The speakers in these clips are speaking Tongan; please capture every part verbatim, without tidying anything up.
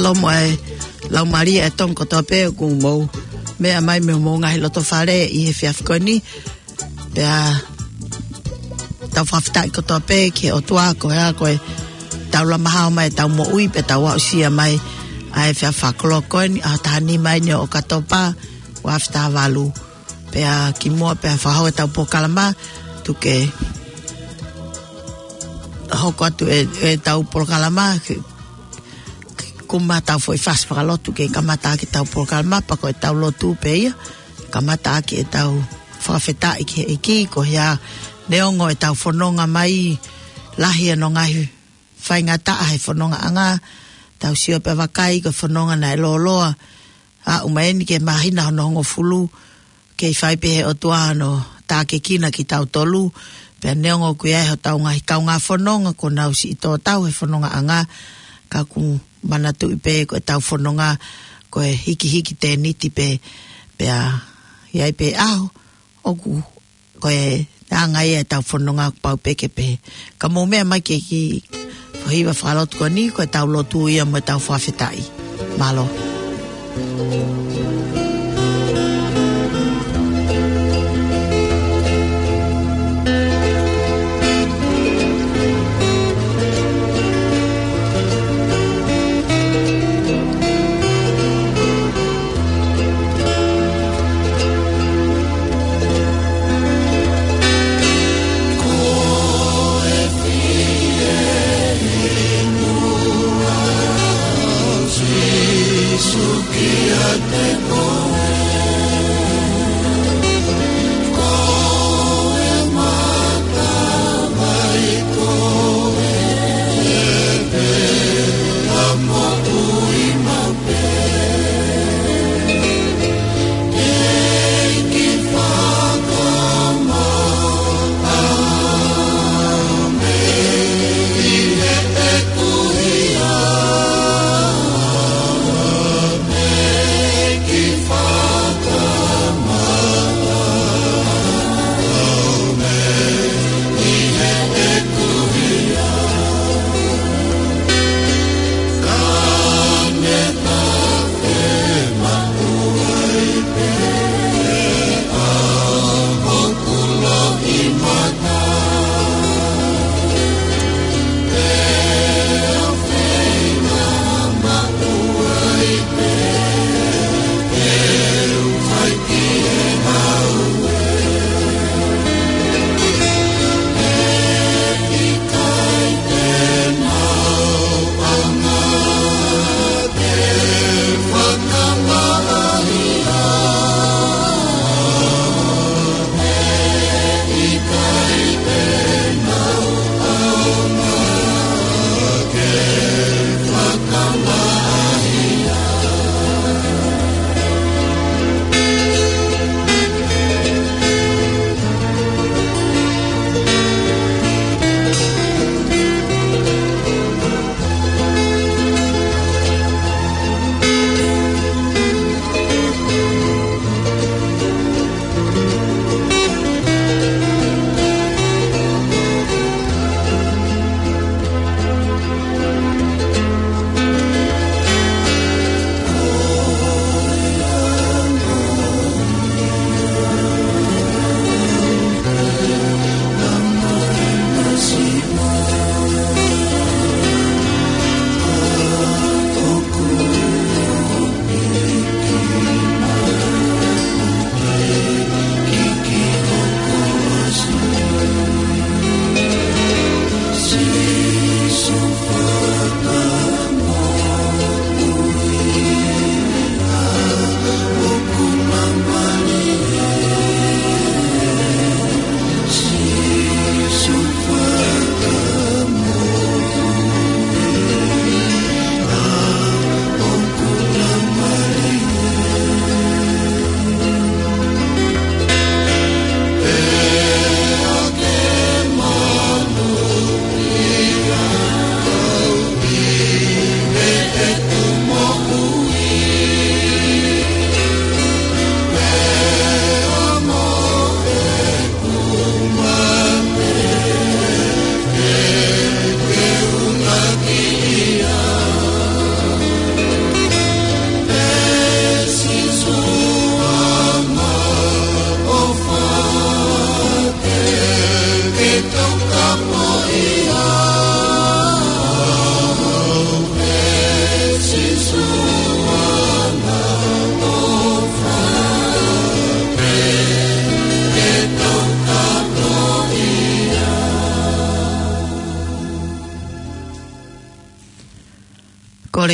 Mālō mo e laumālie ʻa e Tonga kotoa pē ʻoku mou meʻa mai mei homou ngaahi loto fale ʻi he efiafi ko eni. Pea tau fakafetaʻi kotoa pē ki he ʻOtua ko e hā ko e tau lama hao mai ʻetau moʻui pea tau aʻusia mai ʻa e efiafi fakakoloa ko eni ʻaho taha nima eni ʻo ʻOkatopa, ua afe taha valu. Pea kimuʻa pea fakahoko ʻetau polokalama, tuku ke hoko atu e, ʻetau polokalama, ke, ke kumi ʻetau foʻi fasi fakalotu ke kamata ʻaki ʻetau polokalama, pea ko ʻetau lotu pē ia, kamata ʻaki ʻetau fakafetaʻi ki he ʻEiki, ko ia neongo ʻetau fononga mai lahi ʻa hono ngaahi faingataʻa he fonongaʻanga, tau sio pea vakai ko e fononga naʻe lōloa, aʻu mai eni ki he māhina hono hongofulu, kei fai pē he ʻOtua hono tākiekina kitautolu, pea neongo ʻoku ʻi ai hotau ngaahi kaungā fononga kuo nau siʻi tō tau he fonongaʻanga, ka ʻoku manatuʻi pē ko ʻetau fononga ko e hikihiki tēniti pē, pea ʻi ai pē ʻaho, ʻoku ko e anga ia ʻetau fononga kuo pau pē ke pehē. Ka mou meʻa mai ki he kiʻi foʻi hiva fakalotu ko eni, ko ʻetau lotu ia mo ʻetau fakafetaʻi. Mālō.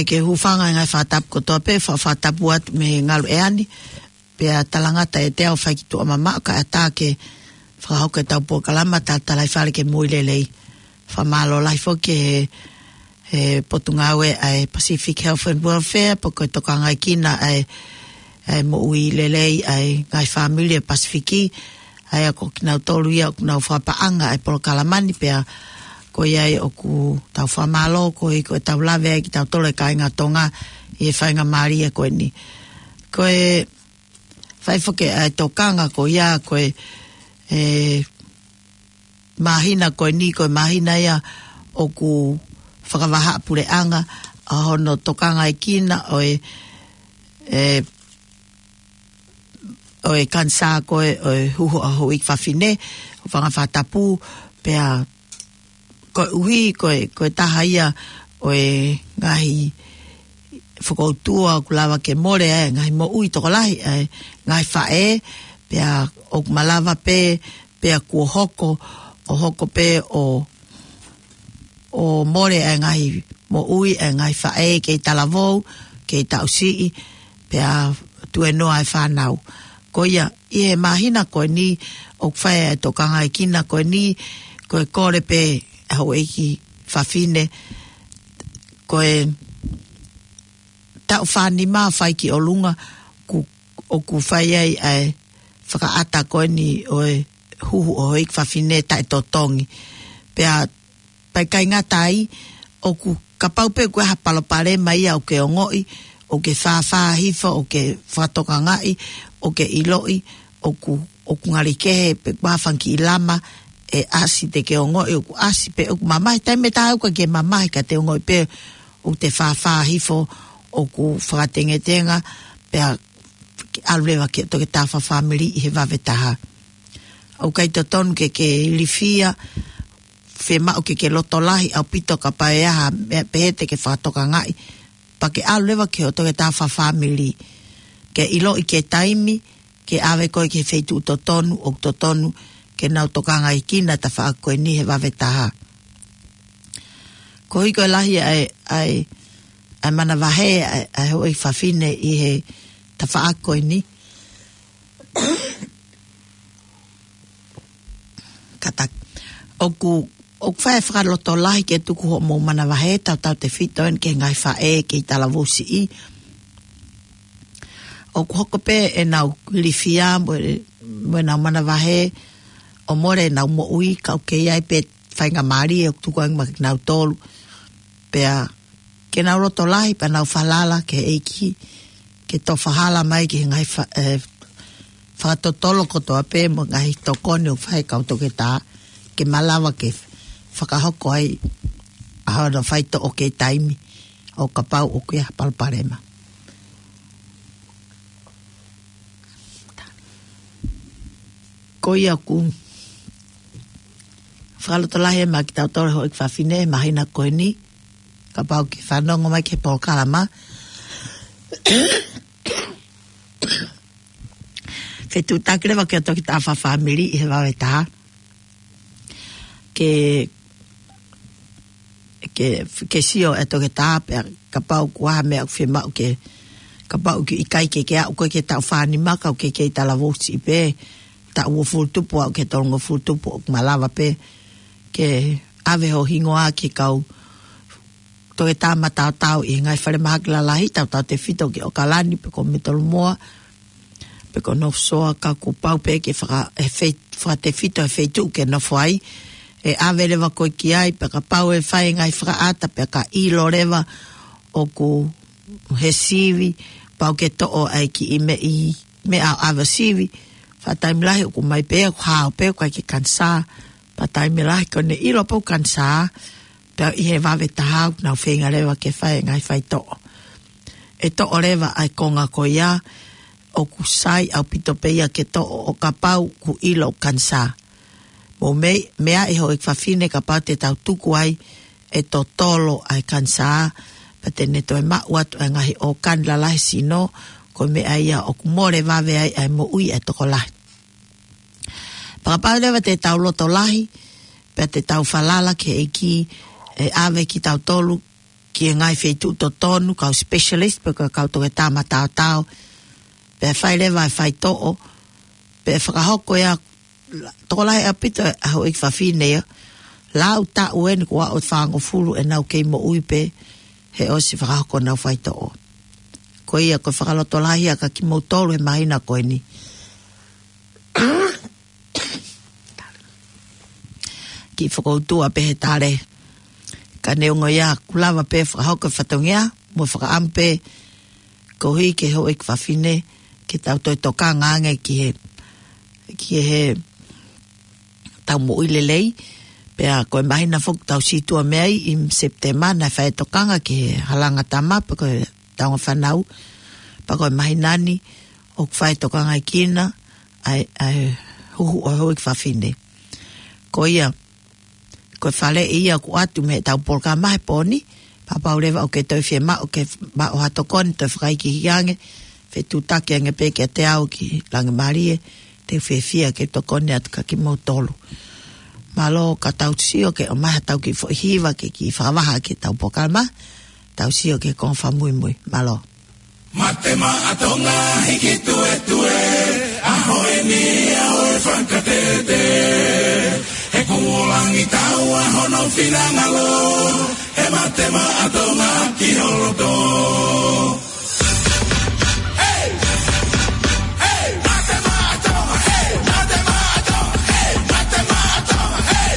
Ke hūfanga e ngaahi fakatapu kotoa pē, fa-, fakatapu atu mei he ngalu ʻeani, pea talangata ʻe te au fai ki tuʻa mamaʻo kae ʻatā ke fakahoko ʻetau polokalama Talatalaifale ke Moʻui Lelei. Fakamālō lahi foki he, he Potungāue ʻa e Pacific Health and Welfare, pe ko e tokangaekina ʻa e, ʻa e moʻui lelei ʻa e ngaahi fāmili ʻa e Pasifiki, ʻa ia ko kinautolu ia ʻoku nau fakapaʻanga ʻa e polokalama ni pea ko ia ai ʻoku tau fakamālō, ko e, ko e tau lave ai kitautolu e kāinga Tonga ʻi he faingamālie ko eni. Ko e fai foki ʻa e tokanga ko ia, ko e, e, māhina ko eni, ko e māhina ia ʻoku fakavahaʻapuleʻanga ʻa hono tokangaekina ʻo e, e, ʻo e kanisā ko ē ʻo e huhu ʻa e houʻeiki fafine, ʻo fanga fakatapu, pea koeʻuhi ko e, ko e taha ia ʻo e ngaahi fokoutua ʻoku lava ke mole ai e ngaahi moʻui tokolahi ʻa e ngaahi faʻē, pea ʻoku malava pē, pea kuo hoko, ʻo hoko pē ʻo ʻo mole ʻa e ngaahi moʻui ʻa e ngaahi faʻē kei talavou, kei taʻu siʻi, pea tuenoa e fānau. Ko ia, ʻi he māhina ko eni, ʻoku fai e tokangaekina ko eni, ko e kole pē ʻa e houʻeiki fafine, ko e taʻu fānima fai ki ʻolunga, ku-, ʻoku fai ai ʻa e fakaʻata ko eni ʻo e huhu ʻo e houʻeiki fafine taʻetotongi. Pea pea ʻikai ngata ai, ʻoku kapau pē ʻoku ʻi ai ha palopalema ia ʻoku ke ongoʻi, ʻoku ke fāfā hifo, ʻoku ke fakatokangaʻi, ʻoku ke ʻiloʻi, ʻoku, ʻoku ngali kehe, pe ʻoku ʻi ai ha fanga kiʻi lama ʻe ʻasi te ke ongoʻi, ʻoku ʻasi pe ʻoku mamahi, taimi ʻe taha ʻoku ʻikai ke mamahi ka te ongoʻi pē ʻoku te fāfā hifo, ʻoku fakatengetenga, pea ke ʻalu leva ki he toketā fakafāmili ʻi he vave taha. ʻOku ʻikai totonu ke ke ilifia, fiemaʻu ke ke loto lahi ʻaupito kapau ʻe ʻi ai ha meʻa pehē te ke fakatokangaʻi, pea ke ʻalu leva ki hoʻo toketā fakafāmili. Ke ʻiloʻi ki he taimi, ke ʻave koe ki he feituʻu totonu, ʻoku totonu ke nau tokangaekina e tafaʻaki ko eni he vave taha. Koeʻuhi ko e lahi ʻa e, ʻa e, ʻa e manavahē ʻa e, ʻa e houʻeiki fafine ʻi he tafaʻaki ko eni. Kātaki. ʻOku, ʻoku fai e fakalotolahi ke tuku hoʻomou manavahē tautautefito eni ki he ngaahi faʻē kei talavou siʻi. ʻOku hoko pē ʻenau ilifia mo e, mo ʻenau manavahē ʻo mole ʻenau moʻui ka ʻoku kei ʻi ai pē faingamālie ʻoku tuku ange maʻa kinautolu. Pea ke nau loto lahi pea nau falala ki he ʻEiki, ke tofa hala mai ki he ngaahi fa-, ʻe, fakatotolo kotoa pē mo e ngaahi tokoni ʻoku fai ʻe he kau toketā, ke malava ke fakahoko ai ʻa hono faitoʻo ki he taimi ʻo kapau ʻoku ʻi ai ha palopalema. Ko ia ʻoku fakalotolahi maʻa kitautolu e houʻeiki fafine he māhina ko eni, kapau ʻoku ke fanongo mai ki he polokalama. Fetuʻutaki leva ki hoʻo toketā fakafāmili ʻi he vave taha. Ke, ke, ke sio e toketā pea kapau ʻoku ʻi ai ha meʻa ʻoku fiemaʻu ke, kapau ʻoku ʻikai ke ke aʻu koe ki he taʻu fānima ka ʻoku ke kei talavou siʻi pē, taʻu uofulu tupu aʻu ki he tolungofulu tupu ʻoku malava pē ke ʻave ho hingoa ki he kau toketā mataotao ʻi he ngaahi falemahaki lalahi tautautefito ki ʻOkalani pe ko Metolumoa, pe ko North Shore ka kuo pau pē ke faka-, he fei-, fakatefito he feituʻu ʻoku ke nofo ai, ʻe ʻave leva koe ki ai, pea kapau ʻe fai e ngaahi fakaʻata, pea ka ʻilo leva ʻoku ʻi he sivi, pau ke toʻo ai ki he meʻi, meʻa ʻo ʻave sivi, faʻa taimi lahi ʻoku ʻomai pē, ʻoku hao pē, ʻoku ʻikai ke kanisā, pea taimi lahi ko ʻene ʻilo pē ʻoku kanisā, pea ʻi he vave taha ʻoku nau feinga leva ke fai e ngaahi faitoʻo. ʻE toʻo leva ʻa e konga ko ia, ʻoku sai ʻaupito pē ia ke toʻo ʻo kapau ʻoku ʻilo ʻoku kanisā. Mou mei-, meaʻi houʻeiki fafine kapau te tau tuku ai e totolo ʻa e kanisā, pea te ne toe maʻu atu e ngaahi ʻōkani lalahi sino, ko e meʻa ia ʻoku mole vave ai ʻa e moʻui ʻa e tokolahi. Pea kapau leva te tau loto lahi, pea te tau falala ki he ʻEiki ʻe ʻave kitautolu ki he ngaahi feituʻu totonu, kau specialist, pe ko e kau toketā mataotao, pea fai leva e faitoʻo, pea fakahoko ia, tokolahi ʻaupito ʻa e houʻeiki fafine ia, lau taʻu eni kuo aʻu ʻo fāngofulu ʻenau kei moʻui pē, he ʻosi fakahoko ʻenau faitoʻo. Ko ia ko e fakalotolahi ia kia kimoutolu he māhina ko eni. Kiʻi fokoutua pē he tale. Ka neongo ia, kuo lava pē fakahoko e fatongia, mo fakaʻamu pē koeʻuhi ke houʻeiki fafine, ke tau toe tokanga ange ki he, ki he tau moʻui lelei, pea ko e māhina foki tau sītuʻa mei ai ʻi Sepitema naʻe fai e tokanga ki he halanga tama, pe ko e taunga fānau, pea ko e māhina ni, ʻoku fai e tokanga ʻi Kina, ʻa e, ʻa e huhu ʻo e houʻeiki fafine. Ko ia, ko e faleʻi ia ʻoku ʻoatu mei heʻetau polokalama he pō ni, pea kapau leva ʻoku ke toe fiemaʻu ke maʻu ha tokoni, toe fakaikiiki ange, fetuʻutaki ange pē kiate au ki Langimalie, te u fiefia ke tokoni atu kia kimoutolu. Mālō, ka tau sio ke ʻomai haʻatau kiʻi foʻi hiva ke kiʻi fakavaha ki heʻetau polokalama, tau sio ki he konga fakamuimui. Mālō. Mate Maʻa Tonga, hiki tuetue, ʻaho eni ʻaho e fakatete. He kuo langi taua hono finangalo, he Mate Maʻa Tonga ki ho loto. Hey! Hey! Mate Maʻa Tonga, hey! Mate Maʻa Tonga, hey! Mate Maʻa Tonga, hey!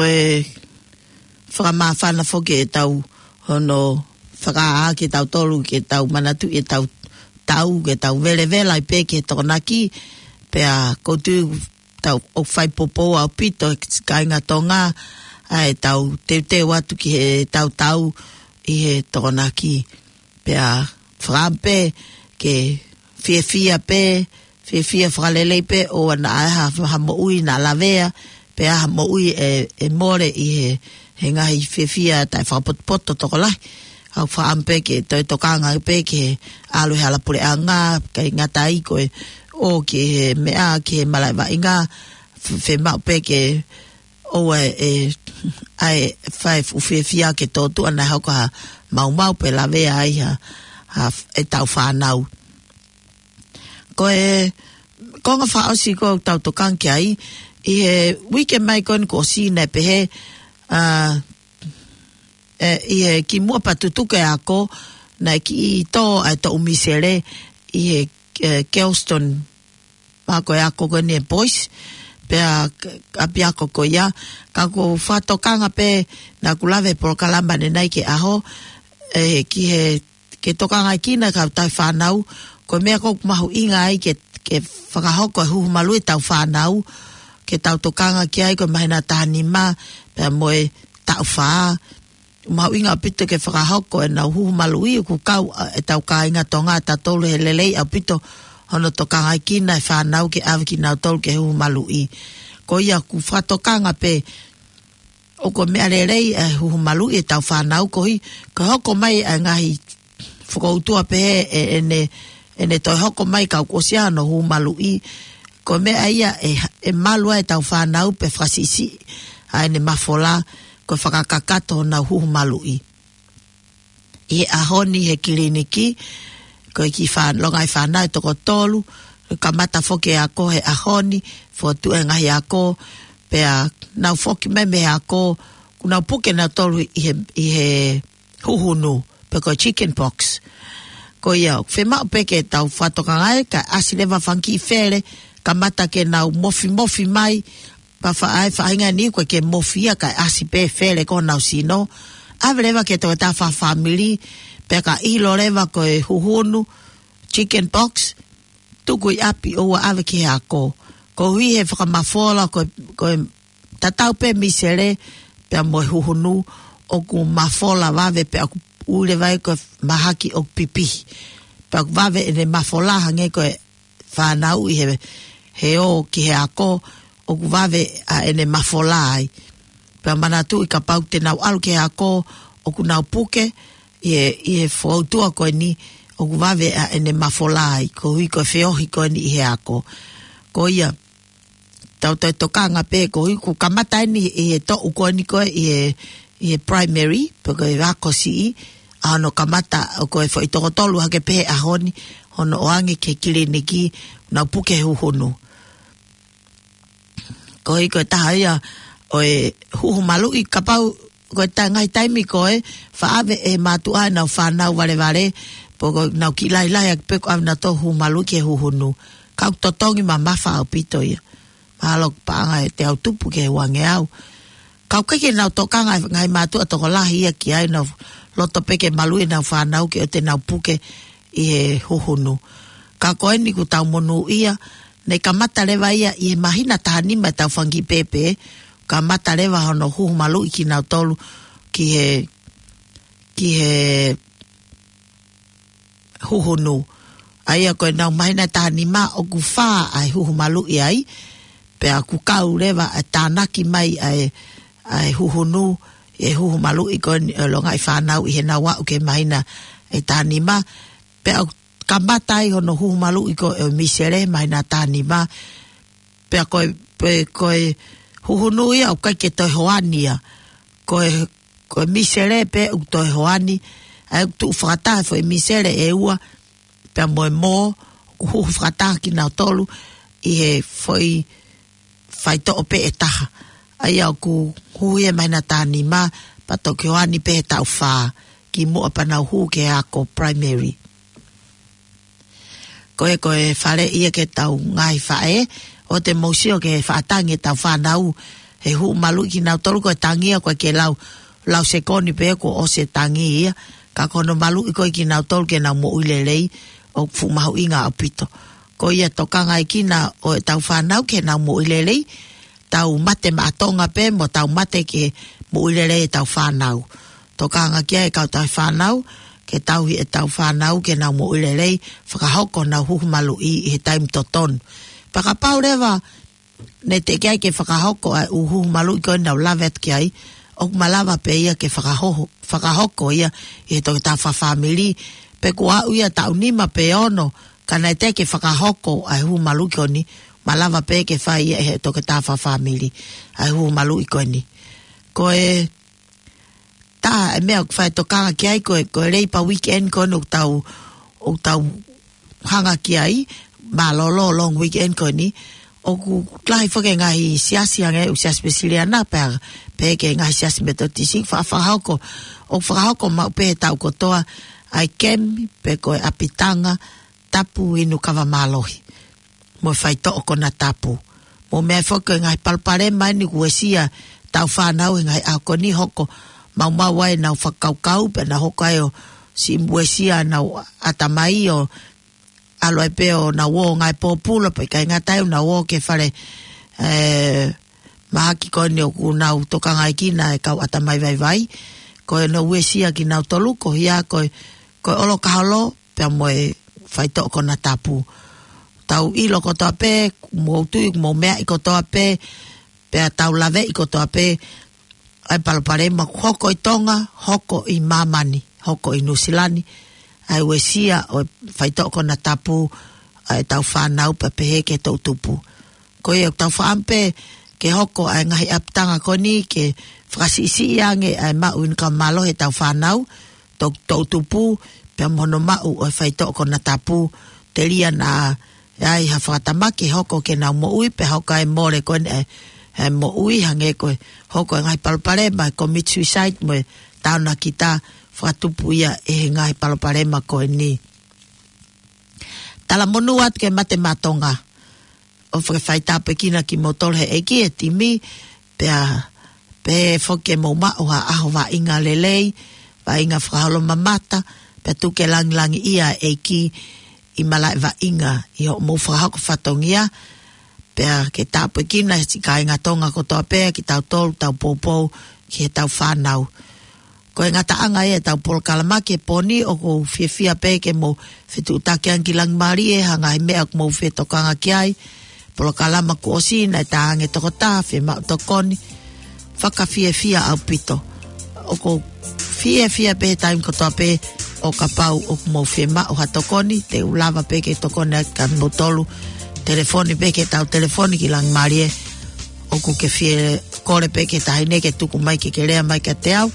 ʻe fakamāfana foki ʻetau hono fakaʻā kitautolu ke tau manatuʻi ʻetau tau, ke tau velevela ai pē ki he Tokonaki, pea ʻoku ou tui ʻoku tau ʻoku fai poupou ʻaupito ʻe kāinga Tonga ʻa ʻetau teuteu atu ki heʻetau tau ʻi he Tokonaki. Pea fakaʻamu pē ke fiefia pē, fiefia fakalelei pē ʻoua naʻa ʻi ai ha, ha moʻui naʻa lavea, pe ha moʻui ʻe, ʻe mole ʻi he, he ngaahi fiefia taʻefakapotopoto tokolahi. ʻOku fakaʻamu pē ke toe tokanga pē ke ʻalu he hala puleʻanga, ʻikai ngata ai ko e ō ki he meʻa, ki he malaʻe vaʻinga, f-, fiemaʻu pē ke ʻoua ʻe, ʻe, ʻa e fai fuʻu fiefia ke tōtuʻa naʻe hoko ha maumau pe lavea ai ha, ha f-, ʻetau fānau. Ko e konga fakaʻosi ʻoku tau tokanga ki ai, ʻi he uike mai ko eni kuo ʻosi naʻe pehē, ʻa, ʻe, ʻi he kimuʻa pea tutuku e ako, naʻe kiʻi tō ʻa e toʻu misele ʻi he, ʻe, Kelston, ma ko e ako ko eni ʻa e Boys, pea k-, ʻapiako ko ia, ka ʻoku ou fakatokanga pē naʻa ku lave he polokalama ʻanenai ki he ʻaho, ʻe, ki he, ke tokangaʻi kinautolu e kau tauhi fānau, ko e meʻa ʻoku mahuʻinga ai ke, ke fakahoko e huhu maluʻi ʻetau fānau, ke tau tokanga ki ai ko e māhina taha nima, pea mo e taʻu fā, mahuʻinga ʻaupito ke fakahoko ʻenau huhu maluʻi ʻoku kau ʻa, ʻetau kāinga Tonga ʻatautolu he lelei ʻaupito hono tokangaʻi kinautolu e fānau ke ʻave kinautolu ki he huhu maluʻi. Ko ia ʻoku fakatokanga pē ʻoku meʻa lelei e huhu maluʻi ʻetau fānau koeʻuhi, ko e hoko mai ʻa e ngaahi fokoutua pehē ʻe, ʻene, ʻene toe hoko mai ka ʻoku ʻosi ʻa hono huhu maluʻi. Ko e meʻa ia ʻe, ʻe malu ai ʻetau fānau pe fakasiʻisiʻi ʻa ʻene mafola, ko e fakakakato honau huhu maluʻi. ʻI he ʻaho ni he kiliniki, ko e kiʻi fā-, longaʻi fānau ʻe toko tolu, kamata foki e ako he ʻaho ni, fokotuʻu e ngaahi ako, pea nau foki mai mei he ako, kuo nau puke nautolu ʻi he, ʻi he huhunu, pe ko e chicken pox. Ko ia, fiemaʻu pē ke tau fakatokangaʻi, kae ʻasi leva e fanga kiʻi fele, kamata ke nau mofimofi mai, pea fa-, ʻa e faʻahinga ni ʻoku ʻikai ke mofi ia kae ʻasi pē e fele ki honau sino. ʻAve leva ki he toketā fakafāmili, pea ka ʻilo leva ko e huhunu, chicken pox, tuku ʻi ʻapi ʻoua ʻave ki he ako. Koeʻuhi he fakamafola ko, ko e tatau pē misele, pea mo e huhunu, ʻoku mafola vave pea ʻoku ui leva ia ko e mahaki ʻoku pipihi. Pea ʻoku vave ʻene mafola hangē ko e fānau ʻi he, he ō ki he ako, ʻoku vave ʻa ʻene mafola ai. Pea manatuʻi kapau te nau ʻalu ki he ako, ʻoku nau puke, ʻi he, ʻi he fokoutua ko eni, ʻoku vave ʻa ʻene mafola ai, koeʻuhi ko e feohi ko eni ʻi he ako. Ko ia, tau toe tokanga pē koeʻuhi kuo kamata eni ʻi he toʻu ko eni ko e ʻi he, ʻi he primary, pe ko e ako siʻi, ʻa hono kamata ʻo ko e foʻi toko tolu hake pē he ʻaho ni, hono ʻoange ki he kiliniki, nau puke huhunu. Koeʻuhi ko e taha ia ʻo e huhu maluʻi kapau, ko e ta-, ngaahi taimi ko ē, faʻa ʻave ʻe he mātuʻa ʻenau fānau valevale, pe ko ʻenau kiʻi lahilahi ʻaki pē ʻoku ʻave nautolu huhu maluʻi ki he huhunu. Ka ʻoku totongi mamafa ʻaupito ia. Mahalo ʻoku paʻanga ʻe teau tupu ki he uangeau. Ka ʻoku ʻikai ke nau tokanga e ngaahi mātuʻa tokolahi ia ki ai, nau loto pē ke maluʻi ʻenau fānau ke ʻoua te nau puke ʻi he huhunu. Ka ko eni kuo tau monūʻia, naʻe kamata leva ia ʻi he māhina taha nima ʻetau fanga kiʻi pēpē, kamata leva hono huhu maluʻi kinautolu ki he, ki he huhunu. ʻA ia ko ʻenau māhina taha nima ʻoku fā ʻa e huhu maluʻi ai, pea ʻoku kau leva ʻa e tānaki mai ʻa e, ʻa e huhunu, ʻi he huhu maluʻi ko eni ʻo e longaʻi fānau ʻi heʻenau aʻu ki he māhina ʻe taha nima, pea ʻoku kamata ai hono huhu maluʻi ko e misele māhina taha nima, pea ko e, pe ko e huhunu ia ʻoku ʻikai ke toe hoani ia. Ko e, ko e misele pē ʻoku toe hoani, ʻa ia ʻoku tuʻu fakataha e foʻi misele ʻe ua, pea mo e mō, ʻoku huhu fakataha kinautolu ʻi he foʻi faitoʻo pē ʻe taha. ʻA ia ʻoku huhu ia he māhina taha nima, pea toki hoani pē he taʻu fā, kimuʻa pea nau hū ki he ako primary. Ko e, ko e faleʻi ia ki heʻetau ngaahi faʻē, ʻoua te mou sio ki he faʻa tangi ʻetau fānau, he huhu maluʻi kinautolu ko e tangi ia ko e ke lau, lau sekoni pē kuo ʻosi e tangi ia, ka ko hono maluʻi ko ē kinautolu ke nau moʻui lelei, ʻoku fuʻu mahuʻinga ʻaupito. Ko ia tokangaʻi kinautolu ʻetau fānau ke nau moʻui lelei, tau mate maʻa Tonga pē mo tau mate ke moʻui lelei ʻetau fānau. Tokanga ki ai e kau tauhi fānau, ke tauhi ʻetau fānau ke nau moʻui lelei, fakahoko honau huhu maluʻi ʻi he taimi totonu. Pea kapau leva, naʻe teʻeki ai ke fakahoko ʻa e ʻū huhu maluʻi ko ē naʻa ku lave atu ki ai, ʻoku malava pē ia ke fakahoho, fakahoko ia ʻi he toketā fakafāmili, pe kuo aʻu ia taʻu nima pe ono, ka naʻe teʻeki ke fakahoko ʻa e huhu maluʻi ko eni, malava pē ke fai ia ʻe he toketā fakafāmili, ʻa e huhu maluʻi ko eni. Ko e taha e meʻa ʻoku fai tokanga ki ai ko e, ko e Labour Weekend ko eni ʻoku tau, ʻoku tau hanga ki ai, mālōlō long weekend ko eni, ʻoku lahi foki e ngaahi siasi hangē ʻū siasi Uēsiliana pea, pehē ki he ngaahi siasi Metotisi, fa-, fakahoko, ʻoku fakahoko maʻu pē he taʻu kotoa, ʻa e kemi, pe ko e ʻapitanga, tapu inu kava mālohi. Mo e faitoʻo konatapu. Mo e meʻa foki ko e ngaahi palopalema eni kuo uesia ʻetau fānau he ngaahi ʻaho ko eni hoko maumau ai ʻenau fakakaukau, pea nau hoko ai ʻo siʻi uesia ʻenau ʻatamai ʻo ʻalu ai pē ʻo nau ō ngaahi pōpula, pea ʻikai ngata ai ʻo nau ō ki he fale, ē, mahaki ko eni ʻoku nau tokangaʻi kinautolu e kau ʻatamai vaivai. Ko e nau uesia kinautolu, ko ia ko e, ko e ʻolo kaholo, pea mo e faitoʻo konatapu. Tau ʻilo kotoa pē, mou tui, mou meaʻi kotoa pē, pea tau laveʻi kotoa pē, ʻa e palopalema ʻoku hoko ʻi Tonga, hoko ʻi māmani, hoko ʻi Nuʻusila ni, ʻa e uesia ʻo e faitoʻo konatapu, ʻa ʻetau fānau pea pehē ki he toʻutupu. Ko ia ʻoku tau fakaʻamu pē ke hoko ʻa e ngaahi ʻapitanga ko eni ke fakasiʻisiʻi ange ʻa e maʻu inu kava mālohi ʻetau fānau, to-, toʻutupu, pea mo hono maʻu ʻo e faitoʻo konatapu, telia naʻa ʻi ai ha fakatamaki hoko ke nau moʻui, pea hoko ai e mole ko eni ʻa e, ʻa e moʻui hangē ko e hoko e ngaahi palopalema, commit suicide mo e taonakita fakatupu ia ʻe he ngaahi palopalema ko eni. Talamonū atu ki he Mate Maʻa Tonga. ʻOfa ke fai tāpuekina kimoutolu ʻe he ʻEiki e timi, pea pehē foki ke mou maʻu ha ʻaho vaʻinga lelei, vaʻinga fakaholomamata, pea tuku ke langilangiʻia e ʻEiki ʻi malaʻe vaʻinga ʻi hoʻomou fakahoko fatongia, pea ke tāpuekina e siʻi kāinga Tonga kotoa pē, kitautolu, tau poupou ki heʻetau fānau. Ko e ngataʻanga ia ʻetau polokalama ki he pō ni, ʻoku ou fiefia pē ke mou fetuʻutaki ange ki Langimālie, ha ngaahi meʻa ʻoku mou fie tokanga ki ai. Polokalama kuo ʻosi naʻe tā ange tokotaha, fiemaʻu tokoni. Fakafiefia ʻaupito. ʻOku ou fiefia pē he taimi kotoa pē ʻo kapau ʻoku mou fiemaʻu ha tokoni, te u lava pē ke tokoni atu kia moutolu. Telefoni pē ki heʻetau telefoni ki Langimālie. ʻOku ke fie kole pē ki he taʻahine ke tuku mai ke ke lea mai kiate au,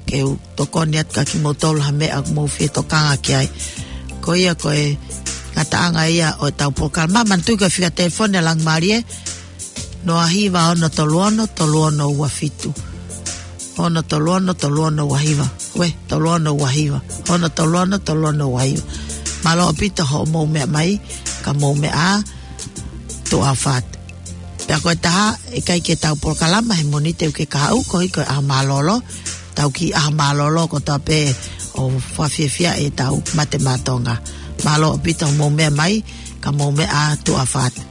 ke u tokoni atu kia kimoutolu ha meʻa ʻoku mou fie tokanga ki ai. Ko ia ko e ngataʻanga ia ʻo ʻetau polokalama. Manatuʻi ko e fika telefoni ʻa Langimālie, noa hiva ono tolu ono, tolu ono ua fitu. Ono tolu ono, tolu ono ua hiva. Ue, tolu ono ua hiva. Ono tolu ono, tolu ono ua hiva. Mālō ʻaupito hoʻomou meʻa mai, ka mou meʻa ā, tuʻa ʻofa atu. Pea ko e taha, ʻe ʻikai ke tau polokalama he Mōnite ʻo aʻu ki he kahaʻu, koeʻuhi ko e ʻaho mālōlō, tau kiʻi ʻaho mālōlō kotoa pē ʻo fakafiefia ʻetau Mate Maʻa Tonga. Mālō ʻaupito hoʻomou meʻa mai, ka mou meʻa ā, tuʻa ʻofa atu.